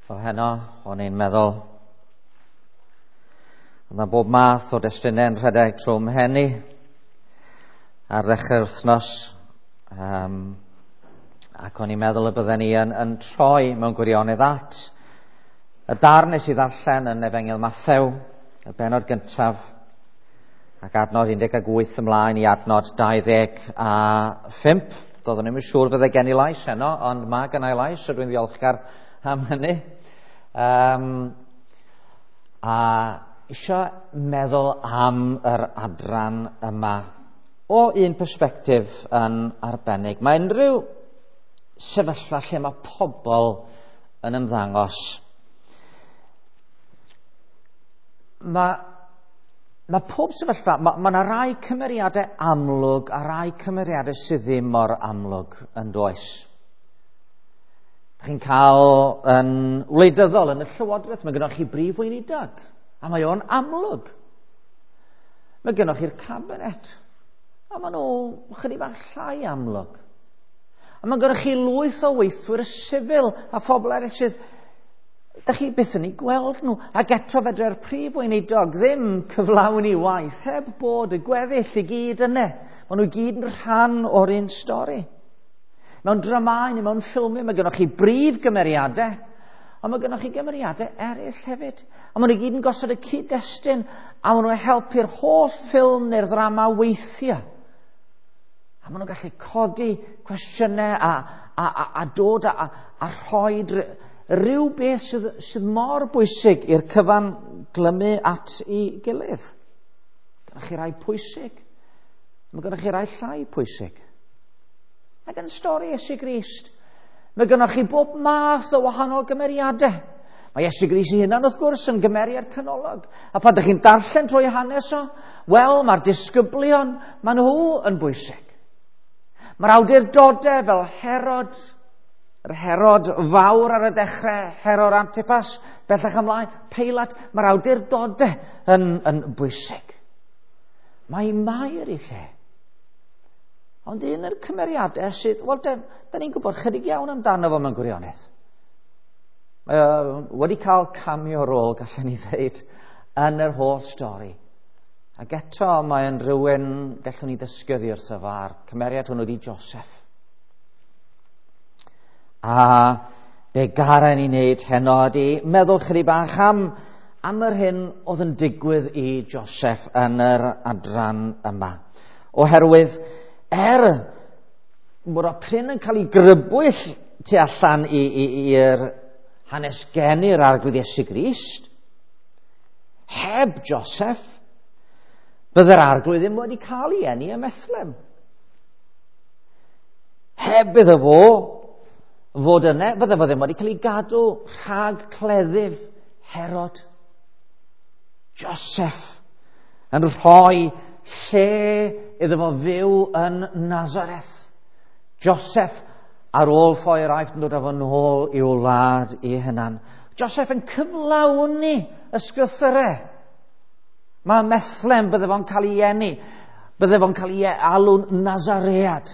Fel heno, o'n i'n meddwl, oedd yna bob math o destunau yn rhedeg trwy mhen i ar ddechrau'r wythnos. Ac o'n i'n meddwl y bydden ni yn troi mewn gwirionedd at y darn nes i ddarllen yn Efengyl Mathew, y bennod gyntaf, ac adnod 18 ymlaen i adnod 25. Doeddwn i'm yn siŵr fydde gen i lais heno, ond mae gen i lais, so dwi'n ddiolchgar am hynny. A isio meddwl am yr adran yma o un persbectif yn arbennig. Mae unrhyw sefyllfa lle mae pobl yn ymddangos. Mae pob sefyllfa, mae yna rai cymeriadau amlwg a rai cymeriadau sydd ddim mor amlwg yn does. Chi'n cael yn wleidyddol yn y llywodraeth, mae gennych chi brif weinidog, a mae o'n amlwg. Mae gennych chi'r cabinet, a maen nhw chydig bach llai amlwg. A mae gennych chi lwyth o weithwyr sifil a phobl eraill sydd da chi byth yn ei gweld nhw. Ac eto fedre'r prif weinidog ddim cyflawni waith heb bod y gweddill i gyd yna. Maen nhw i gyd yn rhan o'r un stori. Mewn dramau neu mewn ffilmiau mae gennych chi brif gymeriadau, ond mae gennych chi gymeriadau eraill hefyd. A maen nhw i gyd yn gosod y cyd-destun, a maen nhw'n helpu'r holl ffilm neu'r ddrama weithio. A maen nhw'n gallu codi cwestiynau a dod a rhoi rhyw beth sydd mor bwysig i'r cyfan glymu at ei gilydd. Gynnwch chi rai pwysig, mae gynnwch chi rai llai pwysig. Ac yn stori Iesu Grist, mae gynnwch chi bob math o wahanol gymeriadau. Mae Iesu Grist ei hunan wrth gwrs yn gymeriad canolog. A pan ydych chi'n darllen trwy hanes o, wel, mae'r disgyblion, maen nhw yn bwysig. Mae'r awdurdodau fel Herod, yr Herod fawr ar y dechrau, Herod Antipas, bellach ymlaen, Peilat, mae'r awdurdodau yn bwysig. Mae Mair i lle. Ond un o'r cymeriadau sydd, wel, da ni'n gwybod chydig iawn amdano fo mewn gwirionedd. Mae o wedi cael cameo rôl, gallen ni ddweud, yn yr holl stori. Ac eto mae'n rhywun gallwn ni ddysgu oddi wrtho fo, a'r cymeriad hwnnw ydi Joseph. A be garen ni wneud heno ydi meddwl chydig bach am yr hyn oedd yn digwydd i Joseph yn yr adran yma. Oherwydd, bod o prin yn cael ei grybwyll tu allan i'r hanes geni'r Arglwydd Iesu Grist, heb Joseph, bydde'r Arglwydd ddim wedi cael ei eni ym Methlehem. Heb iddo fo fod yna, bydde fo ddim wedi cael ei gadw rhag cleddyf Herod. Joseph yn rhoi lle iddo fo fyw yn Nazareth. Joseph ar ôl ffoi'r Aifft yn dod â fo nôl i'w wlad ei hunan. Joseph yn cyflawni ysgrythurau. Mae Methlehem, bydde fo'n cael ei eni, bydde fo'n cael ei alw'n Nazaread.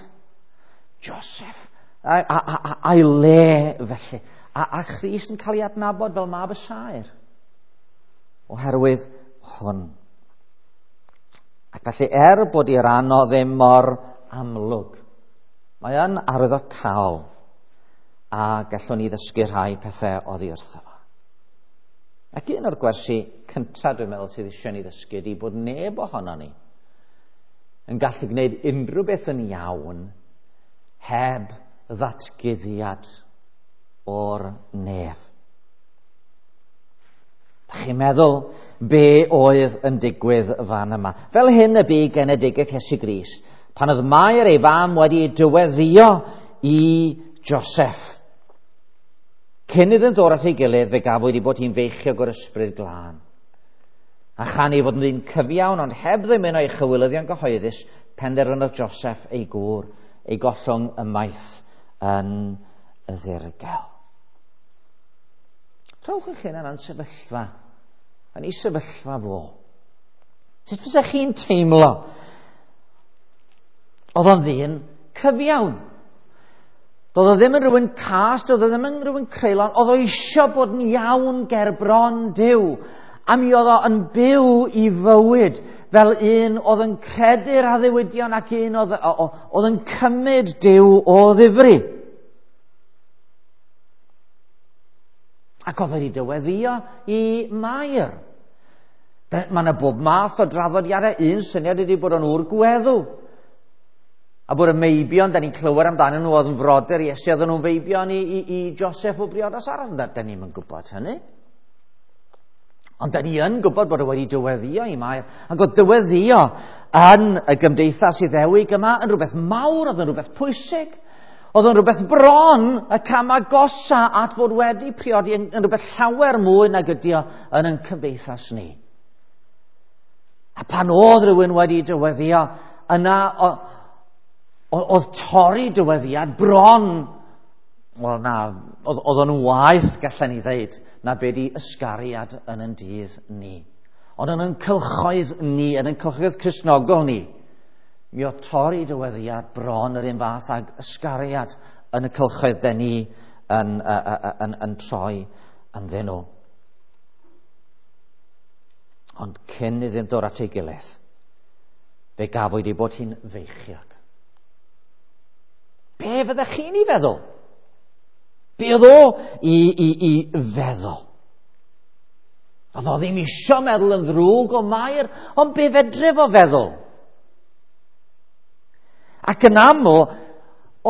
Joseph a'i le felly. A Christ yn cael ei adnabod fel mab y saer. Oherwydd hwn. Ac felly bod ei ran o ddim mor amlwg, mae yn arwyddocaol a gallwn ni ddysgu rhai pethau oddi wrtho fo. Ac un o'r gwersi cyntaf dwi'n meddwl sydd eisiau ni ddysgu ydy bod neb ohono ni yn gallu gwneud unrhyw beth yn iawn heb ddatguddiad o'r nef. Da chi'n meddwl be oedd yn digwydd fan yma? Fel hyn y bu genedigaeth Iesu Grist, pan oedd Mair ei fam wedi dyweddio i Joseph. Cyn iddynt ddod at ei gilydd, fe gafwyd ei bod hi'n feichiog o'r ysbryd glân. A chan ei fod yn ddyn cyfiawn, ond heb ddymuno ei chywilyddion gyhoeddus, penderfynodd Joseph ei gŵr, ei gollwng ymaith yn y ddirgel. Rhowch eich hunan yn sefyllfa, yn ei sefyllfa fo. Sut fysa chi'n teimlo? Oedd o'n ddyn cyfiawn. Doedd o ddim yn rhywun cas, doedd o ddim yn rhywun creulon, oedd o eisiau bod yn iawn ger bron Duw. A mi oedd o yn byw i fywyd fel un oedd yn credu'r addewidion ac un oedd yn cymryd Duw o ddifri. Ac oedd wedi dyweddio i Mair. Mae yna bob math o draddodiadau. Un syniad ydy bod o'n ŵr gweddw. A bod y meibion, da ni'n clywed amdanyn nhw, oedd yn frodyr i Iesu, oedden nhw'n feibion i Joseph o briodas arall. Da ni'n gwybod hynny. Ond da ni yn gwybod bod o wedi dyweddio i Mair. Ac oedd dyweddio yn y gymdeithas Iddewig yma yn rhywbeth mawr, oedd yn rhywbeth pwysig. Oedd yn rhywbeth bron y cam agosa at fod wedi priodi yn rhywbeth llawer mwy nag ydi o yn ein cymdeithas ni. A pan oedd rhywun wedi dyweddio, yna oedd torri dyweddiad bron, wel na, oedd o'n waeth, gallen ni ddeud, na be di ysgariad yn ein dydd ni. Ond yn ein cylchoedd ni, yn ein cylchoedd Cristnogol ni, mi oedd torri dyweddiad bron yr un fath ag ysgariad yn y cylchoedd den ni yn troi ynddyn nhw. Ond cyn iddynt ddod at ei gilydd, fe gafwyd ei bod hi'n feichiog. Be fyddech chi'n ei feddwl? Be oedd o i feddwl? Oedd o ddim isio meddwl yn ddrwg o Mair, ond be fedre fo feddwl? Ac yn aml,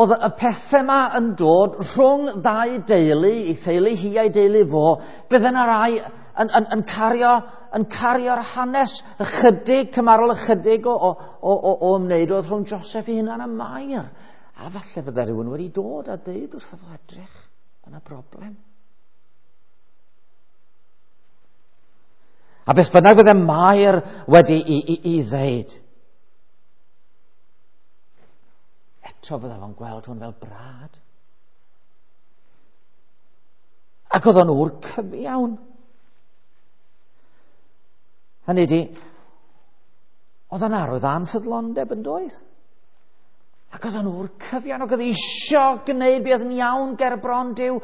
oedd y pethau yma yn dod rhwng ddau deulu, ei theulu hi a'i deulu fo, bydde yna rai yn cario'r hanes ychydig, cymarol ychydig o ymwneud oedd rhwng Joseph ei hunan a Mair. A falle fydde rhywun wedi dod a deud wrtho fo, edrych, yna broblem. A beth bynnag fydde Mair wedi i ddeud, eto fydde fo'n gweld hwn fel brad. Ac oedd o'n ŵr cyfiawn. Hynny ydi, oedd o'n arwydd anffyddlondeb yn doedd? Ac oedd o'n ŵr cyfiawn, ac oedd eisiau gwneud beth yn iawn ger bron Duw.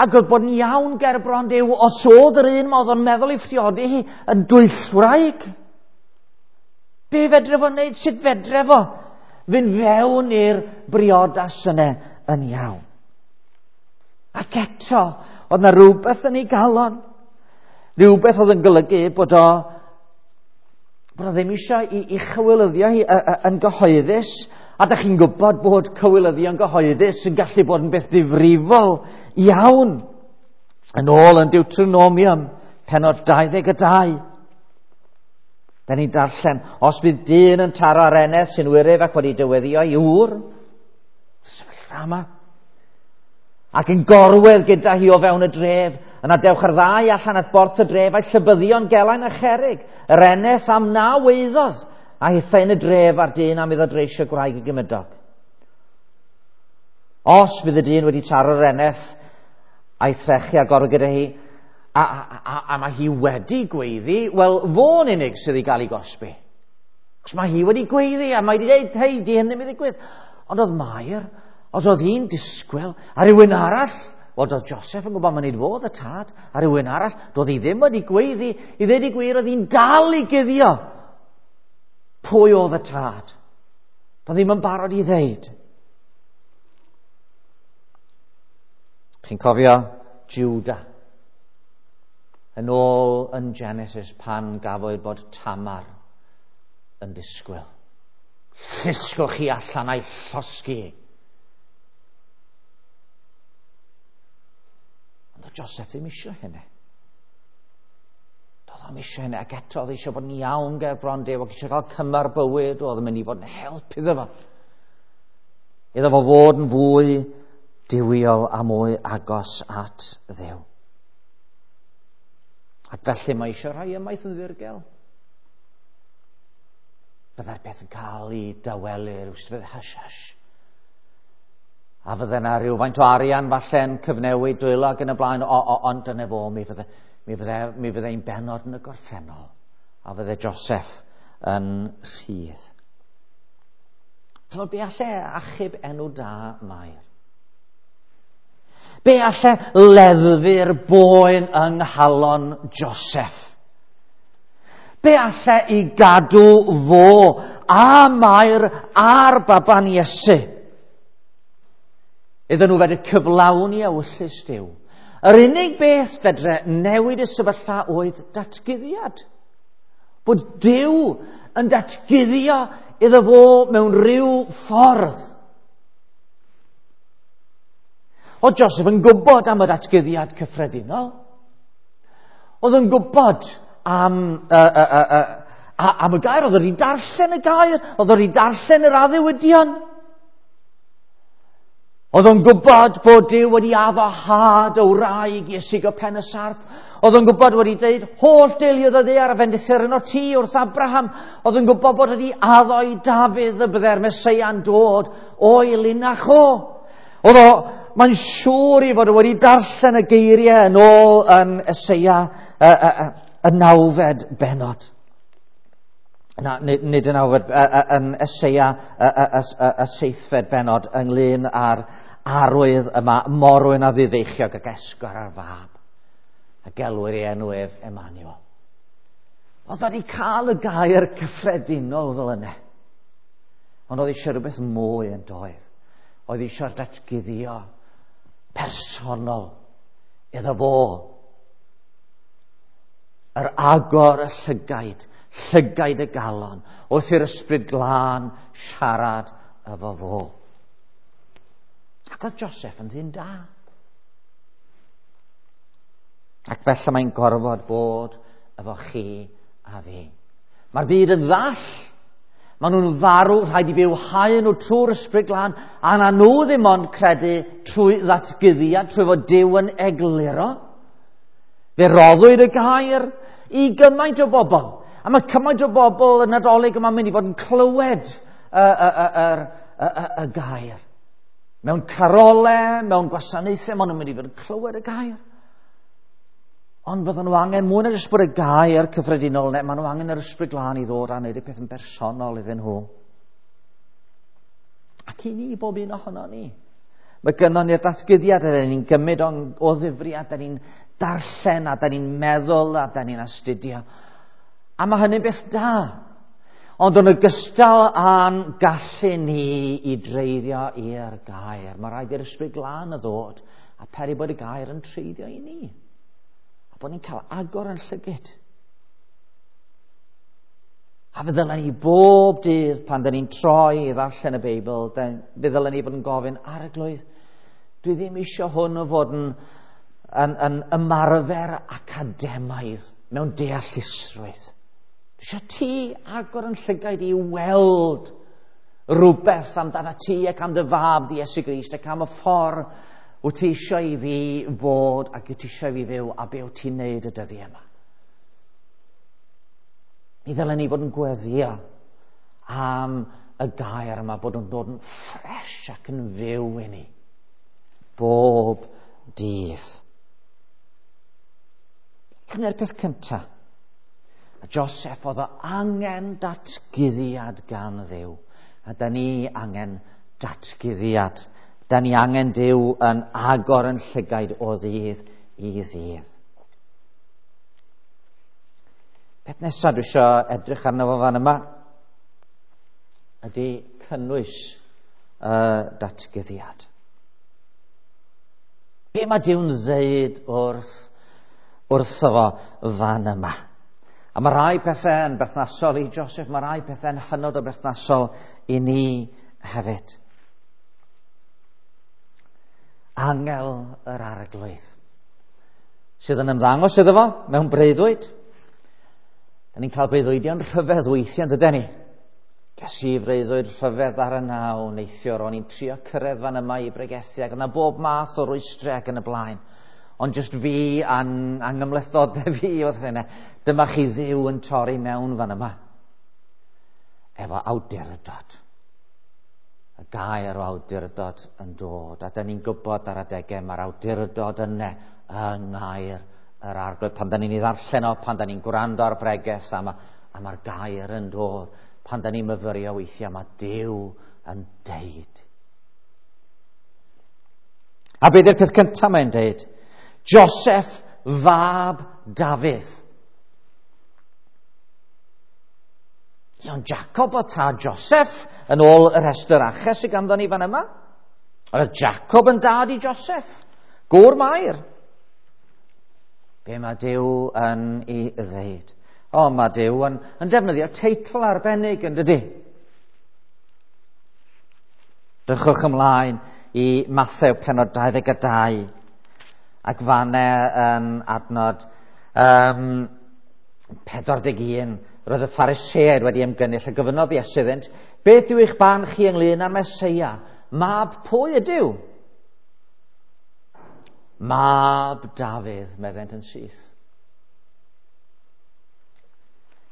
Ac oedd bod yn iawn ger bron Duw, os oedd yr un ma oedd o'n meddwl i phriodi hi yn dwyllwraig. Be fedre fo wneud? Sut fedre fo fynd fewn i'r briodas yna yn iawn? Ac eto, oedd na rhywbeth yn ei galon. Rhywbeth oedd yn golygu bod o ddim eisiau i chywilyddio hi yn gyhoeddus. A da chi'n gwybod bod cywilyddion gyhoeddus yn gallu bod yn beth ddifrifol iawn. Yn ôl yn Deuteronomium, pennod 22. Da ni'n darllen, os bydd dyn yn taro ar eneth sy'n wyryf ac wedi dyweddio ei ŵr, sefyllfa yma, ac yn gorwedd gyda hi o fewn y dref, yna dewch ar ddau allan at borth y dref a'i llybyddion gelain a cherig, yr eneth am na weiddodd, a hithau yn y dref a'r dyn am iddo dreisio gwraig y gymydog. Os bydd y dyn wedi taro'r eneth a'i threchu a gorwedd gyda hi, a mae hi wedi gweiddi, wel, fo'n unig sydd i gael ei gosbi. Os mae hi wedi gweiddi, a mae wedi dweud, hei, di hyn ddim i ddigwydd. Ond oedd Mair, os oedd hi'n disgwyl, a rhywun arall, wel, doedd Joseph yn gwybod mae'n fod y tad, a rhywun arall, doedd hi ddim wedi gweiddi, i ddweud i gwir, oedd hi'n dal i guddio pwy oedd y tad. Doedd ddim yn barod i ddeud. Chi'n cofio Judah? Yn ôl yn Genesis pan gafwyd bod Tamar yn disgwyl. Llusgwch chi allan a'i llosgi. Ond oedd Joseph ddim eisiau hynny. Doedd o'm eisiau hynny, ac eto oedd eisiau bod yn iawn ger bron Duw, ac eisiau cael cymar bywyd, oedd yn mynd i fod yn help iddo fo. Iddo fo fod yn fwy duwiol a mwy agos at Dduw. Ac felly mae eisiau rhai ymaith yn ddirgel. Byddai'r peth yn cael ei dawelu, rhywsut fydd hush hush. A fydde yna rhywfaint o arian falle'n cyfnewid dwylo ac yn y blaen, ond dyna fo, mi fydde ein benod yn y gorffennol, a fydde Joseph yn rhydd. Chymod, be alle achub enw da Mair? Be alle leddfu'r boen yng nghalon Joseph? Be alle i gadw fo a Mair a'r baban Iesu? Iddyn nhw fedru cyflawni ewyllys Duw. Yr unig beth fedre newid y sefyllfa oedd datguddiad. Bod Duw yn datguddio iddo fo mewn rhyw ffordd. Oedd Joseph yn gwybod am y datguddiad cyffredinol. Oedd yn gwybod am, am y gair. Oedd wedi darllen y gair. Oedd wedi darllen yr addewidion. Oedd o'n gwybod bod Duw wedi addo had y wraig i ysigo pen y sarff. Oedd o'n gwybod wedi dweud holl deuluoedd y ddaear a fendithir yno ti wrth Abraham. Oedd o'n gwybod bod wedi addo i Dafydd y bydde'r Meseia'n dod o'i linach o. Oedd o, mae'n siŵr i fod wedi darllen y geiriau yn ôl yn Eseia y nawfed bennod. Na, nid, nid yn awfed, yn Eseia y seithfed bennod ynglyn â'r arwydd yma, morwyn a ddifeichiog ac esgor ar fab. A gelwir ei enw ef Emmanuel. Oedd wedi cael y gair cyffredinol fel yna. Ond oedd eisiau rhywbeth mwy yn doedd. Oedd eisiau'r datguddio personol iddo fo. Yr agor y llygaid, llygaid y galon, wrth i'r ysbryd glân siarad efo fo. Ac oedd Joseph yn ddyn da. Ac felly mae'n gorfod bod efo chi a fi. Mae'r byd yn ddall. Maen nhw'n farw, rhaid i byw hau nhw trwy'r ysbryd glân, a na nhw ddim ond credu trwy ddatguddiad, trwy fod Duw yn egluro. Fe roddwyd y gair i gymaint o bobl. A mae cymaint o bobl yn Nadolig yma'n mynd i fod yn clywed y, y, y, y, y, y gair. Mewn carole, mewn gwasanaethau, maen nhw'n mynd i fod yn clywed y gair. Ond fydden nhw angen mwy na jyst bod y gair cyffredinol yna, maen nhw angen yr ysbryd glân i ddod a wneud y peth yn bersonol iddyn nhw. Ac i ni, bob un ohono ni. Mae gynnon ni'r datguddiad, a ni'n gymryd o'n, o ddifriad, da ni'n darllen, a da ni'n meddwl, a da ni'n astudio. A mae hynny'n beth da. Ond yn ogystal â'n gallu ni i dreiddio i'r gair, mae rhaid i'r ysbryd glân y ddod a peri bod y gair yn treiddio i ni. A bod ni'n cael agor yn llygyd. A fe ddylen ni bob dydd pan dyn ni'n troi i ddarllen y Beibl, fe ddylen ni fod yn gofyn, Arglwydd, dwi ddim eisiau hwn o fod yn, yn, yn ymarfer academaidd mewn deallusrwydd. Dwi eisiau ti agor yn llygaid i weld rhywbeth amdana ti ac am dy fab di Iesu Grist ac am y ffordd wyt ti eisiau i fi fod ac wyt ti eisiau i fi fyw a be wyt ti'n neud y dyddiau yma. Mi ddylen ni fod yn gweddio am y gair yma, bod yn dod yn ffres ac yn fyw i ni. Bob dydd. Dyna'r peth cyntaf. A Joseph oedd o angen datguddiad gan Dduw. A da ni angen datguddiad. Da ni angen Duw yn agor yn llygaid o ddydd i ddydd. Peth nesaf dwi eisiau edrych arno fo fan yma ydy cynnwys y datguddiad. Be mae Duw'n ddeud wrth wrtho fo fan yma? A mae rhai pethau yn berthnasol i Joseph, mae rhai pethau'n hynod o berthnasol i ni hefyd. Angel yr Arglwydd sydd yn ymddangos iddo fo mewn breuddwyd. Da ni'n cael breuddwydion rhyfedd weithiau, yn dydyn ni? Ges i freuddwyd rhyfedd ar y naw neithiwr, o'n i'n trio cyrraedd fan yma i bregethu ac yna bob math o rwystrau ac yn y blaen. Ond jyst fi a'n angymhlethdodau fi oedd hynny. Dyma chi Dduw yn torri mewn fan yma. Efo awdurdod. Y gair o awdurdod yn dod. A da ni'n gwybod ar adegau mae'r awdurdod yna yng ngair yr Arglwydd. Pan da ni'n ei ddarllen o, pan da ni'n gwrando ar bregeth, a mae'r ma gair yn dod. Pan da ni'n myfyrio weithiau, mae Duw yn deud. A beth yw'r peth cyntaf mae'n deud? Joseph fab Dafydd. Ond Jacob o tad Joseph, yn ôl y rhestr aches sydd ganddo ni fan yma. Oedd Jacob yn dad i Joseph, gŵr Mair. Be mae Duw yn ei ddeud? O, mae Duw yn defnyddio teitl arbennig yn dydy. Drychwch ymlaen i Mathew pennod 22 ac fanne yn adnod 41 roedd y Phariseaid wedi ymgynnull a gofynnodd Iesu iddynt, beth yw eich barn chi ynglyn â'r Meseia? Mab pwy ydyw? Mab Dafydd, meddent yn syth.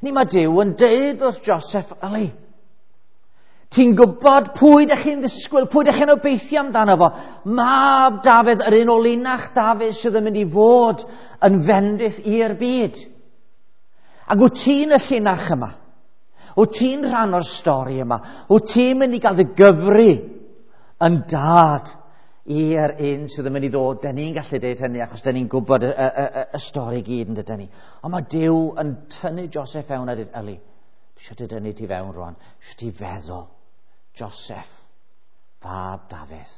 Ni mae Duw yn deud wrth Joseph, yli, ti'n gwybod pwy ydych chi'n ddisgwyl, pwy ydych chi'n obeithio amdano fo? Mab Dafydd, yr un o linach Dafydd sydd yn mynd i fod yn fendith i'r byd. Ac wyt ti'n y llinach yma? Wyt ti'n rhan o'r stori yma? Wyt ti'n mynd i gael dy gyfri yn dad i'r un sydd yn mynd i ddod? Da ni'n gallu deud hynny achos da ni'n gwybod y stori gyd yn dydyn ni. Ond mae Duw yn tynnu Joseph fewn a dweud, yli, dwi eisiau dy dynnu ti fewn rwan, eisiau ti feddwl. Joseph, fab Dafydd,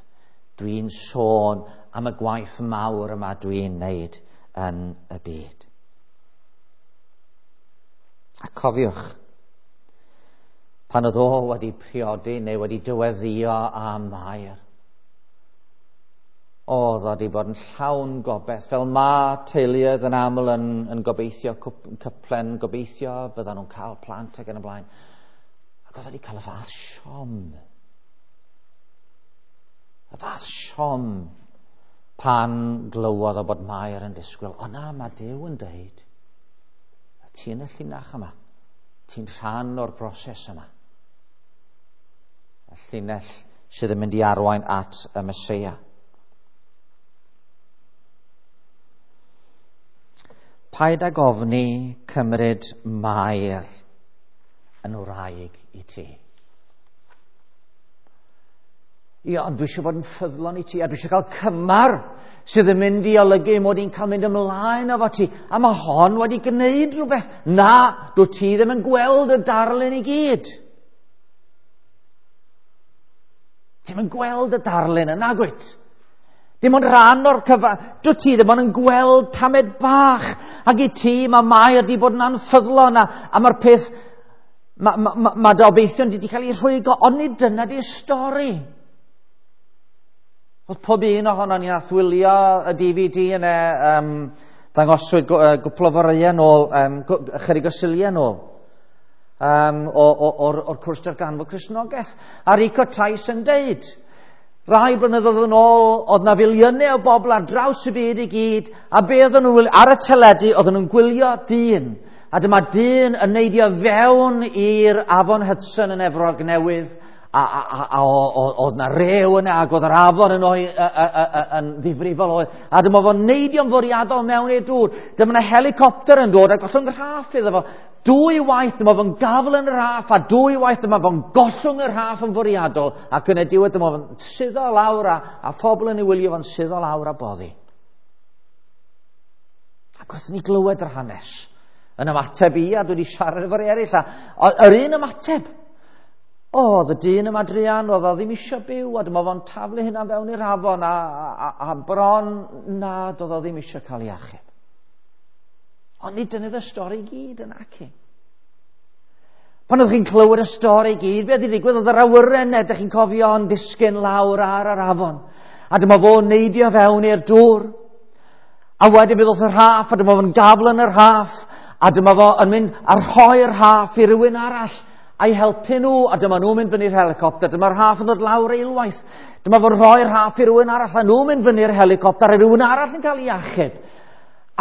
dwi'n sôn am y gwaith mawr yma dwi'n neud yn y byd. A cofiwch, pan oedd o wedi priodi neu wedi dyweddio â Mair, oedd o wedi bod yn llawn gobaith, fel mae teuluoedd yn aml yn gobeithio, cyplen gobeithio, byddan nhw'n cael plant ac yn y blaen. Ac oedd wedi cael y fath siom. Y fath siom pan glywodd o bod Mair yn disgwyl. O na, mae Duw yn deud, ti yn y llinach yma. Ti'n rhan o'r broses yma. Y llinell sydd yn mynd i arwain at y Meseia. Paid ag ofni cymryd Mair yn wraig i ti. Ie, ond dwi eisiau bod yn ffyddlon i ti, a dwi eisiau cael cymar sydd yn mynd i olygu mod i'n cael mynd ymlaen efo ti. A mae hon wedi gwneud rhywbeth. Na, dwi ti ddim yn gweld y darlun i gyd. Ti'm yn gweld y darlun yna, gwyt? Dim ond rhan o'r cyfan. Dwi ti ddim ond yn gweld tamed bach. Ac i ti, mae Mair wedi bod yn anffyddlon, a mae'r peth, mae dy obeithion wedi cael ei rhwygo, ond nid dyna di'r stori. Oedd pob un ohono ni nath wylio y DVD yna, ddangoswyd gwpl o foreau nôl, ychydig o Suliau nôl, o'r cwrs darganfod Cristnogaeth. A Rico Tice yn deud, rai blynyddoedd yn ôl, oedd na filiynau o bobl ar draws y byd i gyd, a be oedden nhw'n wylio ar y teledu, oedden nhw'n gwylio dyn. A dyma dyn yn neidio fewn i'r afon Hudson yn Efrog Newydd, a oedd na rew yna, ac oedd yr afon yn, yn ddifrifol oedd. A dyma fo'n neidio'n fwriadol mewn i'r dŵr. Dyma na helicopter yn dod a gollwng rhaff iddo fo. Dwy waith dyma fo'n gafel yn y rhaff, a dwy waith dyma fo'n gollwng y rhaff yn fwriadol, ac yn y diwedd dyma fo'n suddo lawr a phobl yn ei wylio fo'n suddo lawr a boddi. Ac wrth ni glywed yr hanes, yn ymateb i, a dwi wedi siarad efo'r eraill, a yr un ymateb, oedd y dyn yma druan, oedd o ddim eisiau byw, a dyma fo'n taflu hynna fewn i'r afon, a bron nad oedd o ddim eisiau cael ei achub. Ond nid dyna'r stori i gyd yn aci. Pan oeddech chi'n clywed y stori i gyd, beth i ddigwydd, oedd yr awyren, ydych chi'n cofio, yn disgyn lawr ar yr afon. A dyma fo'n neidio fewn i'r dŵr. A wedyn bydd wrth y rhaff, a dyma fo'n gafel yn y rhaff, a dyma fo yn mynd a rhoi'r rhaff i rywun arall, a'i helpu nhw, a dyma nhw'n mynd fyny'r helicopter, dyma'r rhaff yn dod lawr eilwaith, dyma fo'n rhoi'r rhaff i rywun arall, a nhw'n mynd fyny'r helicopter, a rhywun arall yn cael ei achub.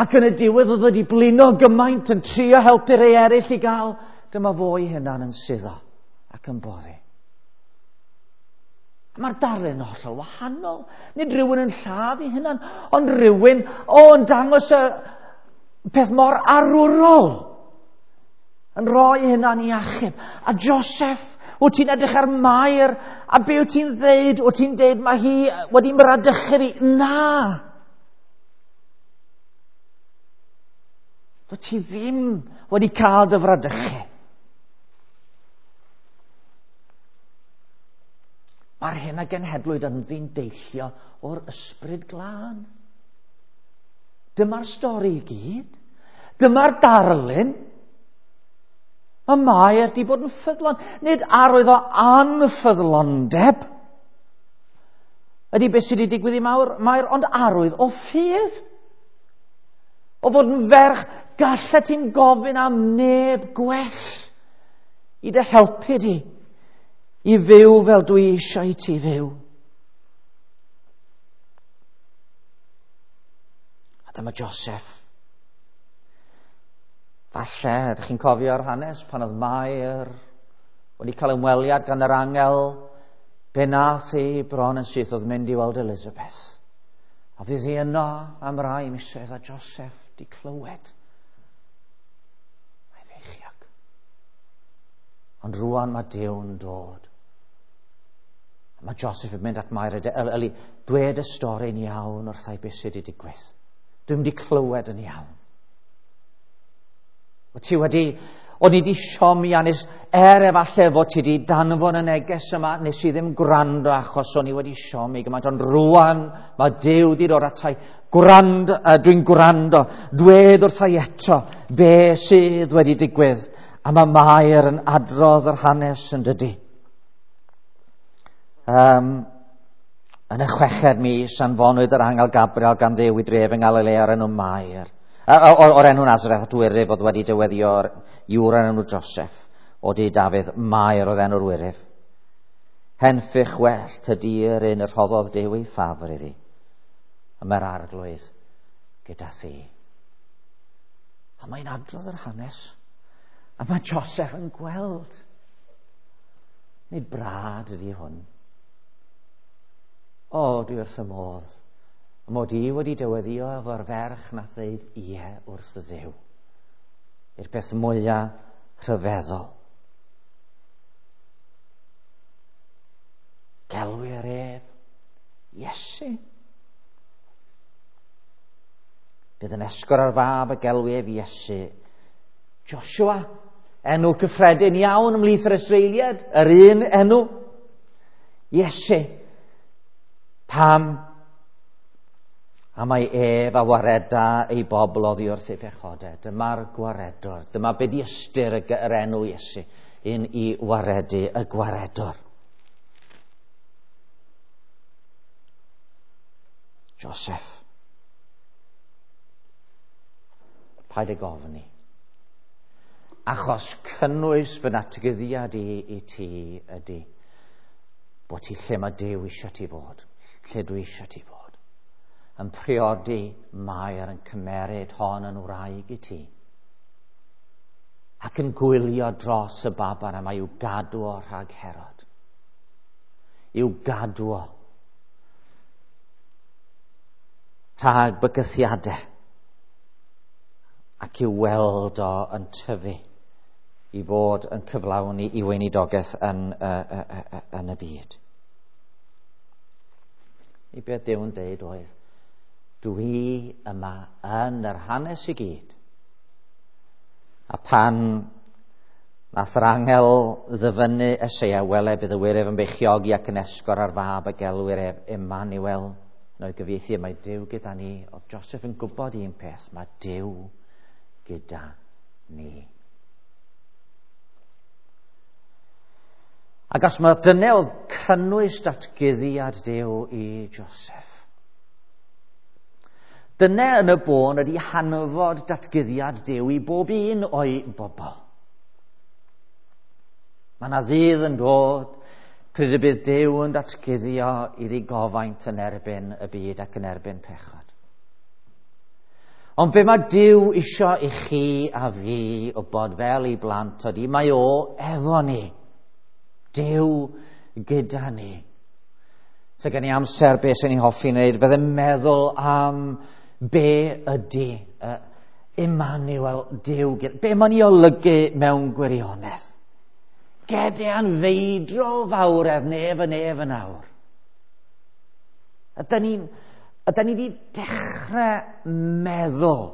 Ac yn y diwedd oedd wedi blino gymaint yn trio helpu rhai eraill i gael, dyma fo ei hunan yn suddo ac yn boddi. Mae'r darlun yn hollol wahanol. Nid rhywun yn lladd ei hunan, ond rhywun yn dangos y peth mor arwrol, yn rhoi hunan i achub. A Joseph, wyt ti'n edrych ar Mair A be wyt ti'n ddeud? Wyt ti'n deud mae hi wedi mradychu fi? Na! Dwyt ti ddim wedi cael dy fradychu. Mae'r hyn a genhedlwyd ynddi'n deillio o'r ysbryd glân. Dyma'r stori i gyd. Dyma'r darlun. Mae Mair di bod yn ffyddlon. Nid arwydd o anffyddlondeb. Ydy beth sydd wedi digwydd i Mair, Mair, ond arwydd o ffydd. O fod yn ferch, gallet ti'n gofyn am neb gwell i dy helpu di i fyw fel dwi eisiau i ti fyw. A dyma Joseph. Falle, ydych chi'n cofio'r hanes pan oedd Mair wedi cael ymweliad gan yr angel, be nath hi bron yn syth oedd mynd i weld Elizabeth. A fydd hi yno am rai misoedd a Joseph di clywed. Mae feichiog. Ond rwan mae Duw'n dod. A mae Joseph yn mynd at Mair a dweud, Eli, dwed y stori'n iawn wrthai beth sydd wedi digwydd. Dwi'n wedi clywed yn iawn. O ti wedi, o'n i wedi siomi a nes, er efallai fod ti wedi danfon y neges yma, nes i ddim gwrando achos o'n i wedi siomi gymaint, ond rwan mae Duw wedi dod atai. Gwrando, dwi'n gwrando, dwed wrthai eto be sydd wedi digwydd. A mae Mair yn adrodd yr hanes yn dydy. Yn y chweched mis, anfonwyd yr angel Gabriel gan Dduw i dref yng Ngalilea o'r enw Mair. O'r enw Nazareth at wyryf oedd wedi dyweddio iwr o'r enw Joseph o du Dafydd, Mair oedd enw'r wyryf. Henffych well tydi'r un y rhoddodd Duw ei ffafr iddi. A mae'r arglwydd gyda thi. A mae'n adrodd yr hanes. A mae Joseph yn gweld. Nid brad ydy hwn. O, dwi wrth y modd. Mod i wedi dyweddio efo'r ferch na ddeud ie wrth y Dduw. I'r peth mwyaf rhyfeddol. Gelwir ef Iesu. Bydd yn esgor ar fab y gelwi ef Iesu. Joshua, enw cyffredin iawn ymhlith yr Israeliad, yr un enw. Iesu. Pam? A mae ef a wareda ei bobl oddi wrth ei pechodau. Dyma'r gwaredwr. Dyma be di ystyr yr enw Iesu. Un i waredu y gwaredwr. Joseph. Paid ag ofni. Achos cynnwys fy natguddiad i i ti ydy bod ti lle mae Duw eisiau ti fod, lle dwi eisiau ti fod. Yn priodi Mair yn cymeryd hon yn wraig i ti. Ac yn gwylio dros y baban yma i'w gadw o rhag Herod. I'w gadw o rhag bygythiadau ac i'w weld o yn tyfu i fod yn cyflawni i weinidogaeth yn, yn y byd. I beth Duw'n deud oedd, dwi yma yn yr hanes i gyd. A pan nath yr angel ddyfynnu Eseia, wele bydd y wyryf yn beichiogi ac yn esgor ar fab y gelwir ef Emmanuel. Yn o'i gyfieithu, mae Duw gyda ni. Oedd Joseph yn gwybod un peth, mae Duw gyda ni. Ac os mae dyna oedd cynnwys datguddiad Duw i Joseph. Dyna yn y bôn ydy hanfod datguddiad Duw i bob un o'i bobl. Mae yna ddydd yn dod pryd y bydd Duw yn datguddio iddi gofaint yn erbyn y byd ac yn erbyn pechod. Ond be mae Duw isio i chi a fi o bod fel ei blant ydy, mae o efo ni. Duw gyda ni. So gen i amser be sy'n ei hoffi wneud, bydde meddwl am be ydy Emmanuel, Duw, be mae'n ei olygu mewn gwirionedd. targedau anfeidrol fawredd nef y nef yn awr. Ydy ni wedi dechrau meddwl,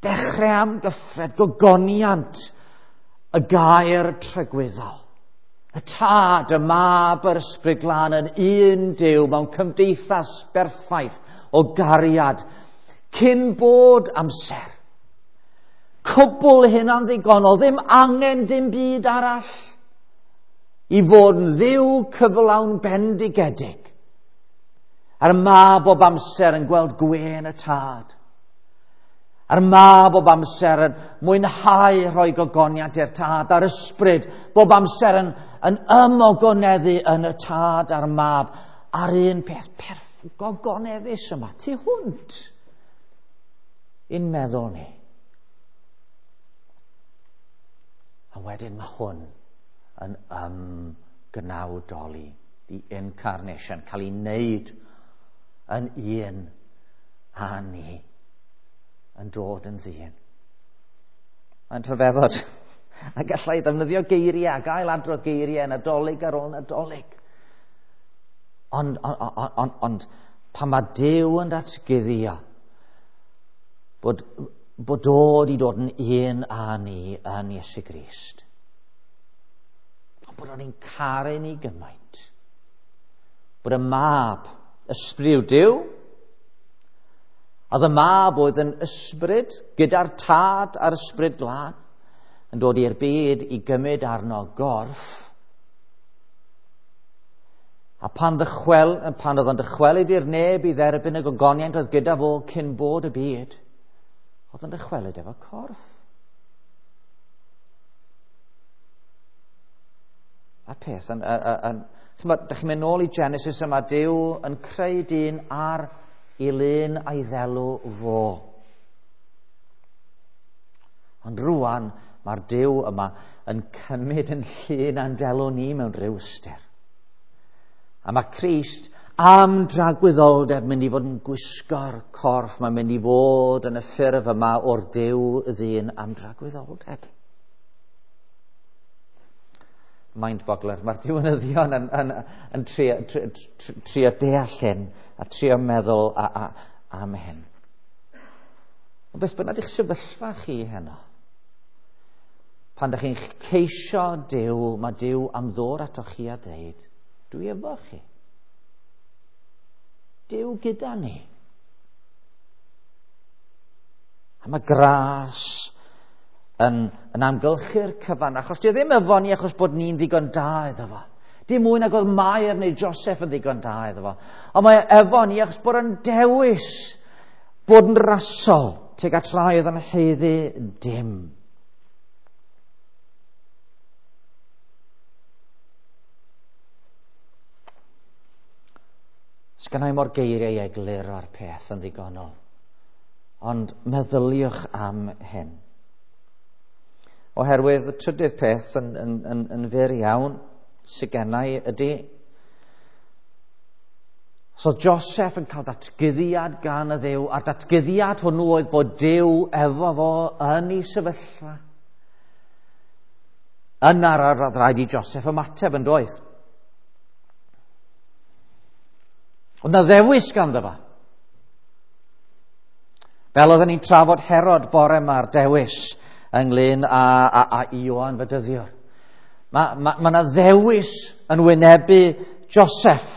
dechrau amgyffred, gogoniant y gair tragwyddol. Y Tad, y Mab, yr Ysbryd Glân yn un Duw mewn cymdeithas berffaith o gariad cyn bod amser. Cwbl hynna'n ddigonol, ddim angen dim byd arall i fod yn Dduw cyflawn bendigedig. A'r Mab bob amser yn gweld gwên y Tad. A'r Mab bob amser yn mwynhau rhoi gogoniant i'r Tad, a'r Ysbryd bob amser yn ymogoneddu yn y Tad a'r Mab. A'r un peth gogoneddus yma, tu hwnt i'n meddwl ni. A wedyn mae hwn yn ymgnawdoli, the incarnation, cael ei wneud yn un â ni, yn dod yn ddyn. Mae'n rhyfeddod. A gallai ddefnyddio geiriau, a gael adrodd geiriau Nadolig ar ôl Nadolig. Ond pan mae Duw yn datguddio bod dod i dod yn un â ni yn Iesu Grist. Bod o'n i'n caru ni gymaint. Bod y Mab, ysbryd Duw, a y Mab oedd yn ysbryd gyda'r Tad a'r Ysbryd Glân, yn dod i'r byd i gymryd arno gorff. A pan oedd o'n dychwelyd i'r neb i dderbyn y gogoniant oedd gyda fo cyn bod y byd, oedd o'n dychwelyd efo corff. A'r peth, dych chi'n mynd nôl i Genesis yma, Duw yn creu dyn ar ei lun a'i ddelw fo. Ond rwan, mae'r Duw yma yn cymryd yn llun a'n delw ni mewn rhyw ystyr. A mae Crist am dragwyddoldeb mynd i fod yn gwisgo'r corff, mae'n mynd i fod yn y ffurf yma o'r Duw ddyn am dragwyddoldeb. Mind-boggler. Mae'r diwinyddion yn trio deall hyn a trio meddwl am hyn. Ond beth bynnag eich sefyllfa chi heno, pan ydych chi'n ceisio Duw, mae Duw am ddod atoch chi a deud, dwi efo chi. Duw gyda ni. A mae gras yn amgylchu'r cyfan, achos di ddim efo ni achos bod ni'n ddigon da iddo fo. Dim mwy nag oedd Mair neu Joseph yn ddigon da iddo fo. Ond mae efo ni achos bod yn dewis bod yn rasol tuag at rai oedd yn haeddu dim. Sgynna i mor geiriau i egluro'r peth yn ddigonol. Ond meddyliwch am hyn. Oherwydd y trydydd peth yn fyr iawn sydd gennau ydy, so Joseph yn cael datguddiad gan y Dduw, a'r datguddiad hwnnw oedd bod Duw efo fo yn ei sefyllfa. Yna roedd rhaid i Joseph ymateb yn doedd. Oedd na ddewis ganddo fo. Fel oedden ni'n trafod Herod bore ma'r dewis ynglyn â Ioan Fedyddiwr. Mae yna ddewis yn wynebu Joseph.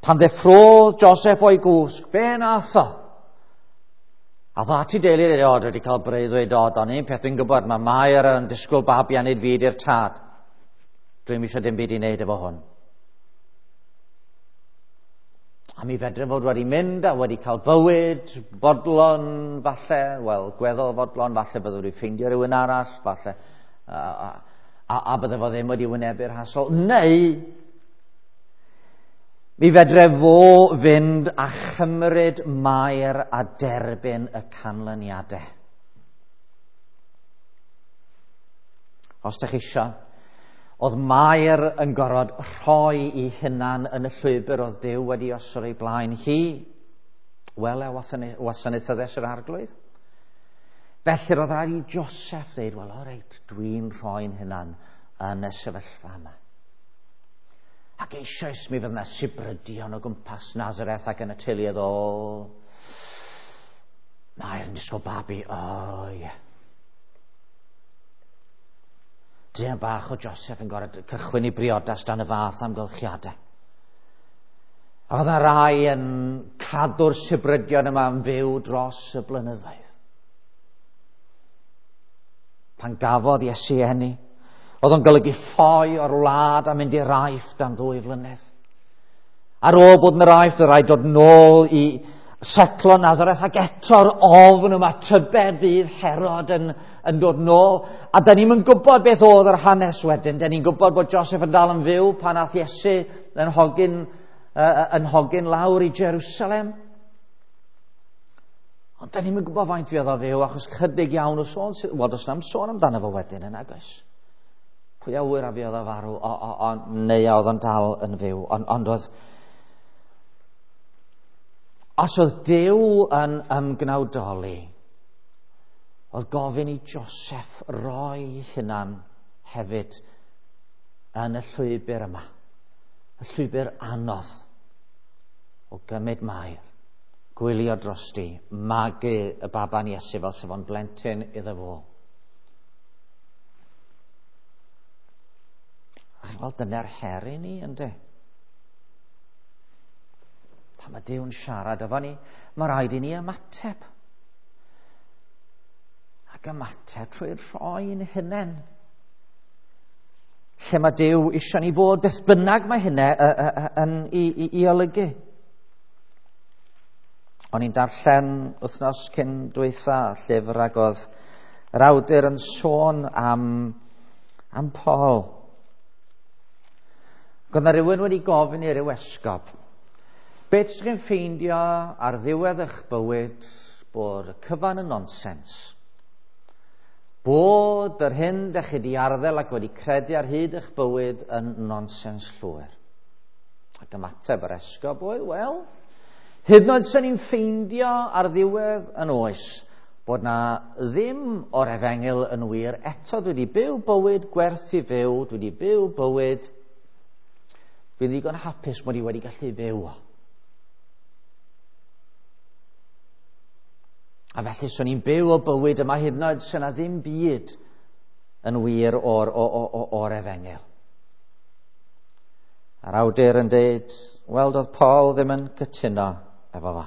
Pan ddeffrodd Joseph o'i gwsg, be nath o? A dda ti deulu, o, dwi wedi cael breuddwyd, o, do'n un peth dwi'n gwybod, mae Mair yn disgwyl babi a nid fi di'r tad. Dwi'm eisiau dim byd i wneud efo hwn. A mi fedre fod wedi mynd a wedi cael bywyd, bodlon falle, wel, gweddol fodlon, falle byddwn wedi ffeindio rhywun arall, falle, a bydde fo ddim wedi wynebu'r hasol. Neu, mi fedre fo fynd a chymryd Mair a derbyn y canlyniadau. Os ydych chi eisiau, oedd Mair yn gorfod rhoi ei hunan yn y llwybr oedd Duw wedi osod ei blaen hi. Wel, e wasanaethyddes yr Arglwydd. Felly roedd rhaid i Joseph ddeud, wel, o reit, dwi'n rhoi'n hunan yn y sefyllfa yma. Ac eisoes mi fydd yna sibrydion o gwmpas Nazareth ac yn y teuluoedd o... Mae'r yn disgwyl babi, o ie. Yeah. Druan bach o Joseph yn gorfod cychwyn i briodas dan y fath amgylchiadau. A fydda rai yn cadw'r sibrydion yma yn fyw dros y blynyddoedd. Pan gafodd Iesu eni, oedd o'n golygu ffoi o'r wlad a mynd i'r Aifft am 2 flynedd. Ar ôl bod yn yr Aifft, oedd rhaid dod nôl i setlo Nazareth, ac eto'r ofn yma, tybed fydd Herod yn dod nôl. A da ni'm yn gwybod beth oedd yr hanes wedyn. Da ni'n gwybod bod Joseph yn dal yn fyw pan ath Iesu yn hogyn lawr i Jerusalem. Ond da ni'm yn gwybod faint fuodd o fyw, achos chydig iawn o sôn, wel, does na'm sôn amdano fo wedyn yn agos. Pwy a ŵyr a fuodd o farw, neu a oedd o'n dal yn fyw. Ond oedd... Os oedd Duw yn ymgnawdoli, oedd gofyn i Joseph roi hunan hefyd yn y llwybr yma, y llwybr anodd o gymryd Mair, gwylio drosti, magu y baban Iesu fel sef o'n blentyn iddo fo. Wel, dyna'r her i ni, ynddi? Pan mae Duw'n siarad efo ni, mae rhaid i ni ymateb. Ac ymateb trwy rhoi'n hunain. Lle mae Duw eisiau ni fod, beth bynnag mae hynna yn i olygu. O'n i'n darllen wythnos cyn dwytha llyfr ac oedd yr awdur yn sôn am Paul. Ac oedd 'na rhywun wedi gofyn i ryw esgob, beth ydych chi'n ffeindio ar ddiwedd eich bywyd bod y cyfan yn nonsens? Bod yr hyn dych chi wedi arddel ac wedi credu ar hyd eich bywyd yn nonsens llwyr. Ac ymateb yr esgob oedd, wel, hyd yn oed sy'n ni'n ffeindio ar ddiwedd yn oes bod na ddim o'r efengyl yn wir, eto dwi wedi byw bywyd gwerth i fyw, dwi wedi byw bywyd, dwi'n ddigon hapus mod i wedi gallu fyw o. A felly swn i'n byw o bywyd yma hyd yn oed sy'n na ddim byd yn wir o'r efengyl. A'r awdur yn dweud, wel, doedd Paul ddim yn cytuno efo fo.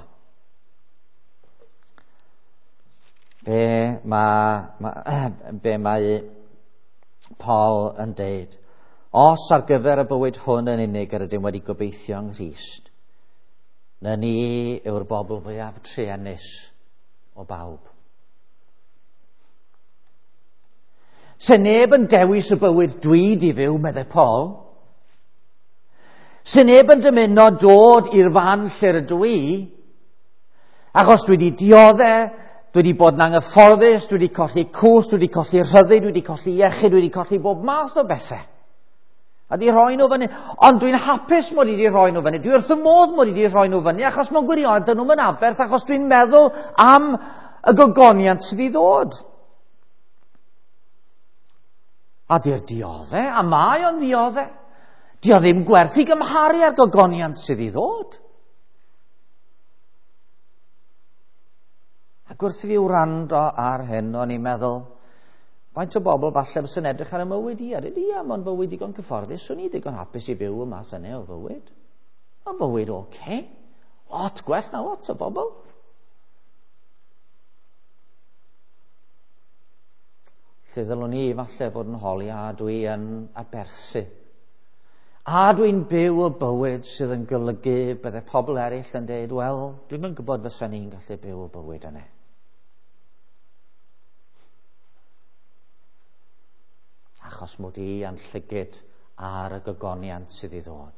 Be mae Paul yn dweud? Os ar gyfer y bywyd hwn yn unig yr ydym wedi gobeithio yng Nghrist, na ni yw'r bobl fwyaf truenus o bawb. Se neb yn dewis y bywyd dwi di fyw, meddai Paul. Se neb yn dymuno dod i'r fan lle rydw i, achos dwi wedi diodde, dwi wedi bod yn anghyfforddus, dwi wedi colli cwrs, dwi wedi colli rhyddid, dwi wedi colli iechyd, dwi wedi colli bob math o bethau. A di rhoi nhw fyny. Ond dwi'n hapus mod i di rhoi nhw fyny. Dwi wrth y modd mod i di rhoi nhw fyny, achos mewn gwirionedd dyn nhw'm yn aberth, achos dwi'n meddwl am y gogoniant sydd i ddod. A di'r diodde, a mae o'n ddiodde. Di o ddim gwerth i gymharu â'r gogoniant sydd i ddod. Ac wrth i fi wrando ar hyn, o'n i'n meddwl, faint o bobl falle sy'n edrych ar y mywyd i, a dweud, ia, mae'n fywyd digon cyfforddus, swn i ddigon hapus i byw y math yna o fywyd. Mae'n fywyd oce. Lot gwell na lot o bobl. Lle ddylwn i falle fod yn holi, a dwi yn aberthu. A dwi'n byw y bywyd sydd yn golygu bydde pobl eraill yn dweud, wel, dwi'm yn gwybod fysa ni'n gallu byw y bywyd yna. Achos mod i a'n llygid ar y gogoniant sydd i ddod.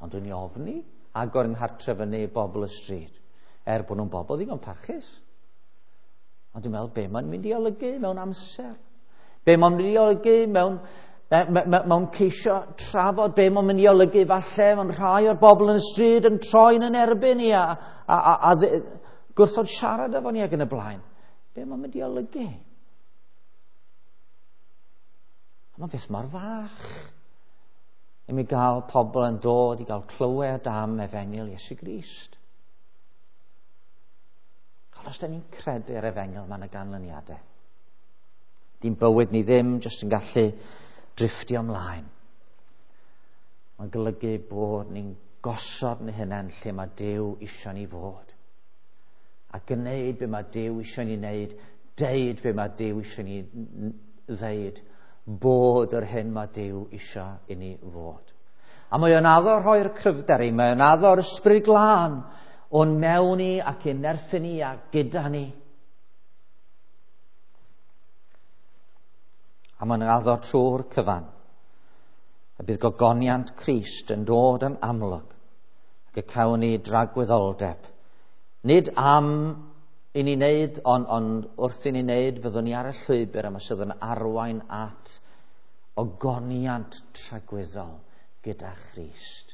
Ond dwi'n i ofni agor yng nghartref fyny i bobl y stryd, er bod nhw'n bobl ddigon parchus. Ond dwi'n meddwl, be mae'n mynd i olygu mewn amser? Be mae'n mynd i olygu mewn ceisio trafod? Be mae'n mynd i olygu falle mewn rhai o'r bobl yn y stryd yn troi'n yn erbyn i a gwrthod siarad efo ni ac yn y blaen. Be mae'n mynd i olygu? A mae'n beth mor fach i mi gael pobl yn dod i gael clywed am efengyl Iesu Grist. Ond os da ni'n credu'r efengyl, mae yna ganlyniadau. Di'n bywyd ni ddim jyst yn gallu drifftio ymlaen. Mae'n golygu bod ni'n gosod ni hunain lle mae Duw isio ni fod. A gwneud be mae Duw isio ni wneud, deud be mae Duw isio ni ddeud, bod yr hyn mae Duw isio i ni fod. A mae o'n addo rhoi'r cryfder i, mae o'n addo'r Ysbryd Glân o'n mewn ni ac i'n nerthu ni a gyda ni. A mae'n addo trwy'r cyfan. A bydd gogoniant Crist yn dod yn amlwg ac y cawn ni dragwyddoldeb. Nid am i ni wneud, ond wrth i ni wneud, fyddwn ni ar y llwybr yma sydd yn arwain at ogoniant tragwyddol gyda Christ.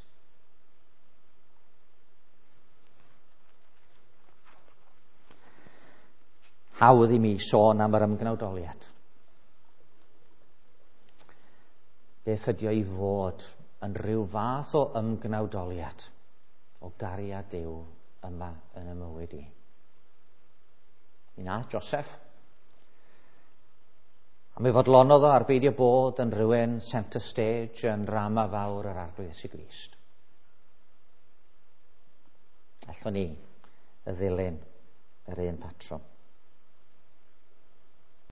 Hawdd i mi sôn am yr ymgnawdoliad. Beth ydy o i fod yn rhyw fath o ymgnawdoliad o gariad Duw yma yn y mywyd i. Mi nath Joseph. A mi fodlonodd o ar beidio bod yn rhywun centre stage yn drama fawr yr Arglwydd Iesu Grist. Allwn ni ddilyn yr un patrwm.